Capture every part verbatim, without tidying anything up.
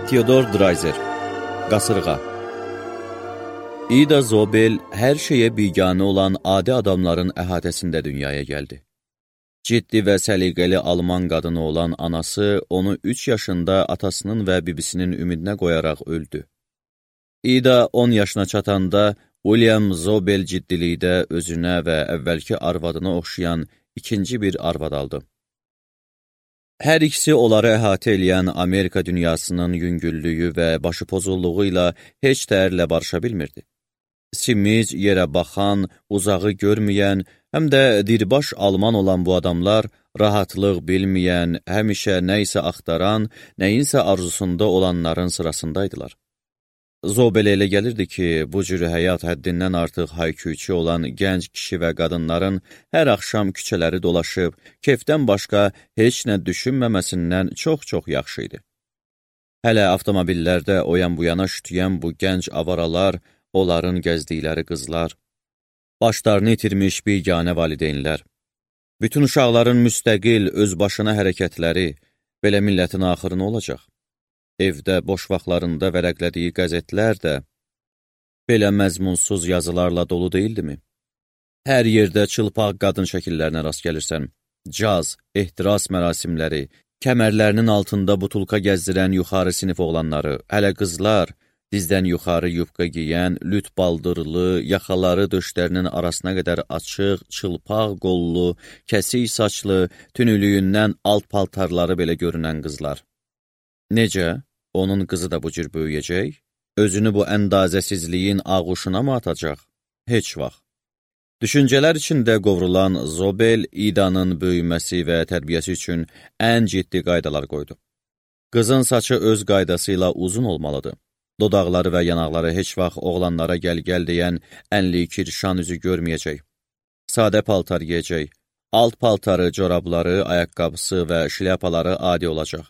Theodor Dreiser, Qasırğa. İda Zobel hər şeyə biganə olan adi adamların əhatəsində dünyaya gəldi. Ciddi və səliqəli alman qadını olan anası onu üç yaşında atasının və bibisinin ümidinə qoyaraq öldü. İda on yaşına çatanda William Zobel ciddilikdə özünə və əvvəlki arvadına oxşayan ikinci bir arvad aldı. Hər ikisi onları əhatə eləyən Amerika dünyasının yüngüllüyü və başı pozulluğu ilə heç tərlə barışa bilmirdi. Simic, yerə baxan, uzağı görməyən, həm də dirbaş alman olan bu adamlar rahatlıq bilməyən, həmişə nə isə axtaran, nəyinsə arzusunda olanların sırasındaydılar. Zobelə elə gəlirdi ki, bu cür həyat həddindən artıq hayküyçü olan gənc kişi və qadınların hər axşam küçələri dolaşıb, kefdən başqa heç nə düşünməməsindən çox-çox yaxşı idi. Hələ avtomobillərdə o yan bu yana şütüyən bu gənc avaralar, onların gəzdikləri qızlar, başlarını itirmiş biganə valideynlər, bütün uşaqların müstəqil, özbaşına hərəkətləri, belə millətin axırı nə olacaq? Evdə boş vaxtlarında vərəqlədiyi qəzetlər də belə məzmunsuz yazılarla dolu deyildimi? Hər yerdə çılpaq qadın şəkillərinə rast gəlirsən, caz, ehtiras mərasimləri, kəmərlərinin altında butulka gəzdirən yuxarı sinif oğlanları, hələ qızlar, dizdən yuxarı yubqa giyən, lüt baldırlı, yaxaları döşlərinin arasına qədər açıq, çılpaq qollu, kəsik saçlı, tünülüyündən alt paltarları belə görünən qızlar. Necə? Onun qızı da bu cür böyüyəcək? Özünü bu əndazəsizliyin ağuşuna mı atacaq? Heç vaxt. Düşüncələr içində qovrulan Zobel, İdanın böyüməsi və tərbiyəsi üçün ən ciddi qaydalar qoydu. Qızın saçı öz qaydası ilə uzun olmalıdır. Dodaqları və yanaqları heç vaxt oğlanlara gəl-gəl deyən ənli kirşan üzü görməyəcək. Sadə paltar giyəcək. Alt paltarı, corabları, ayaqqabısı və şlyapaları adi olacaq.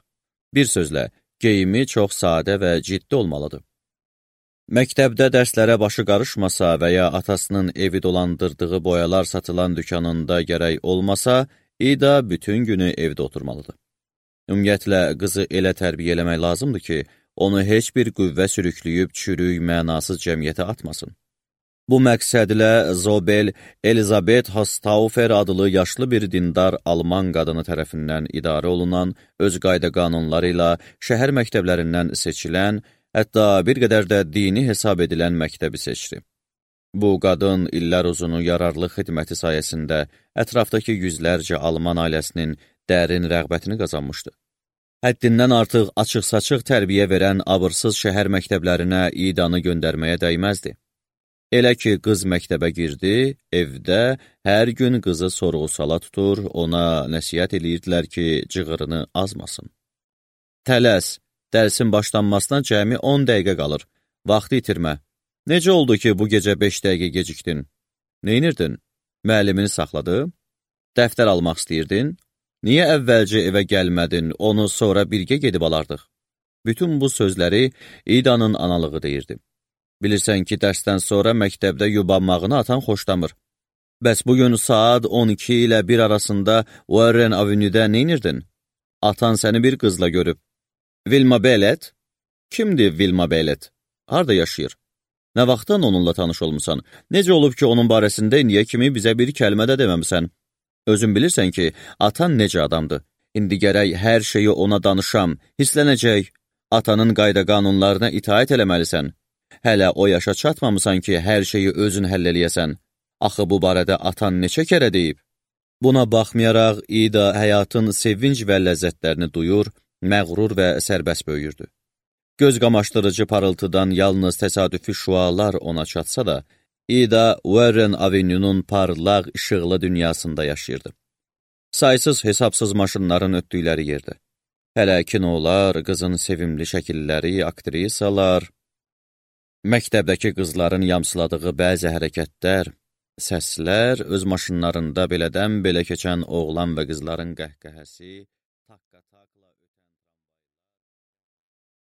Bir sözlə, geyimi çox sadə və ciddi olmalıdır. Məktəbdə dərslərə başı qarışmasa və ya atasının evi dolandırdığı boyalar satılan dükanında gərək olmasa, İda bütün günü evdə oturmalıdır. Ümumiyyətlə, qızı elə tərbiyə eləmək lazımdır ki, onu heç bir qüvvə sürükləyib çürük, mənasız cəmiyyətə atmasın. Bu məqsədlə Zobel, Elizabeth Hostaufer adlı yaşlı bir dindar alman qadını tərəfindən idarə olunan, öz qayda qanunları ilə şəhər məktəblərindən seçilən, hətta bir qədər də dini hesab edilən məktəbi seçdi. Bu qadın illər uzunu yararlı xidməti sayəsində ətrafdakı yüzlərcə alman ailəsinin dərin rəğbətini qazanmışdı. Həddindən artıq açıq-saçıq tərbiyə verən abırsız şəhər məktəblərinə İdanı göndərməyə dəyməzdi. Elə ki, qız məktəbə girdi, evdə hər gün qızı sorğu-sala tutur, ona nəsihət eləyirdilər ki, cığırını azmasın. Tələs, dərsin başlanmasına cəmi on dəqiqə qalır, vaxtı itirmə. Necə oldu ki, bu gecə beş dəqiqə gecikdin? Neynirdin? Müəllimini saxladı? Dəftər almaq istəyirdin? Niyə əvvəlcə evə gəlmədin, onu sonra birgə gedib alardıq? Bütün bu sözləri İdanın analığı deyirdi. Bilirsən ki, dərsdən sonra məktəbdə yubanmağını atan xoşlamır. Bəs bugün saat on iki ilə bir arasında Warren Avenue'də neynirdin? Atan səni bir qızla görüb. Wilma Bellet? Kimdir Wilma Bellet? Harada yaşayır? Nə vaxtdan onunla tanış olmusan? Necə olub ki, onun barəsində indiyə kimi bizə bir kəlmə də deməmisən? Özün bilirsən ki, atan necə adamdır? İndi gərək hər şeyi ona danışam, hislənəcək. Atanın qayda qanunlarına itaət eləməlisən. Hələ o yaşa çatmamısan ki, hər şeyi özün həll eləyəsən. Axı bu barədə atan neçə kərə deyib? Buna baxmayaraq, İda həyatın sevinc və ləzzətlərini duyur, məğrur və sərbəst böyüyürdü. Göz qamaşdırıcı parıltıdan yalnız təsadüfi şüalar ona çatsa da, İda Warren Avenue'nun parlaq, işıqlı dünyasında yaşayırdı. Saysız hesabsız maşınların ötdükləri yerdə. Hələ kinolar, qızın sevimli şəkilləri, aktrisalar, məktəbdəki qızların yamsıladığı bəzi hərəkətlər, səslər, öz maşınlarında belədən belə keçən oğlan və qızların qəhqəhəsi,